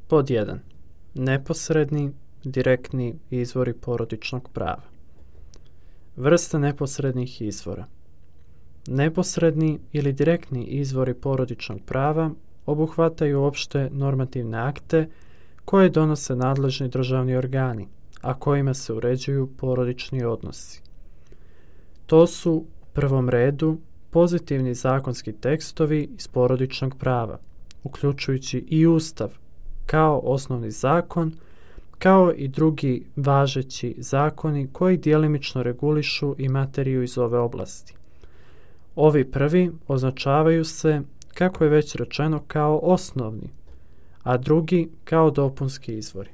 Pod 1. Neposredni, direktni izvori porodičnog prava. Vrste neposrednih izvora. Neposredni ili direktni izvori porodičnog prava obuhvataju opšte normativne akte koje donose nadležni državni organi, a kojima se uređuju porodični odnosi. To su u prvom redu pozitivni zakonski tekstovi iz porodičnog prava, uključujući i Ustav kao osnovni zakon, kao i drugi važeći zakoni koji djelimično regulišu i materiju iz ove oblasti. Ovi prvi označavaju se, kako je već rečeno, kao osnovni, a drugi kao dopunski izvori.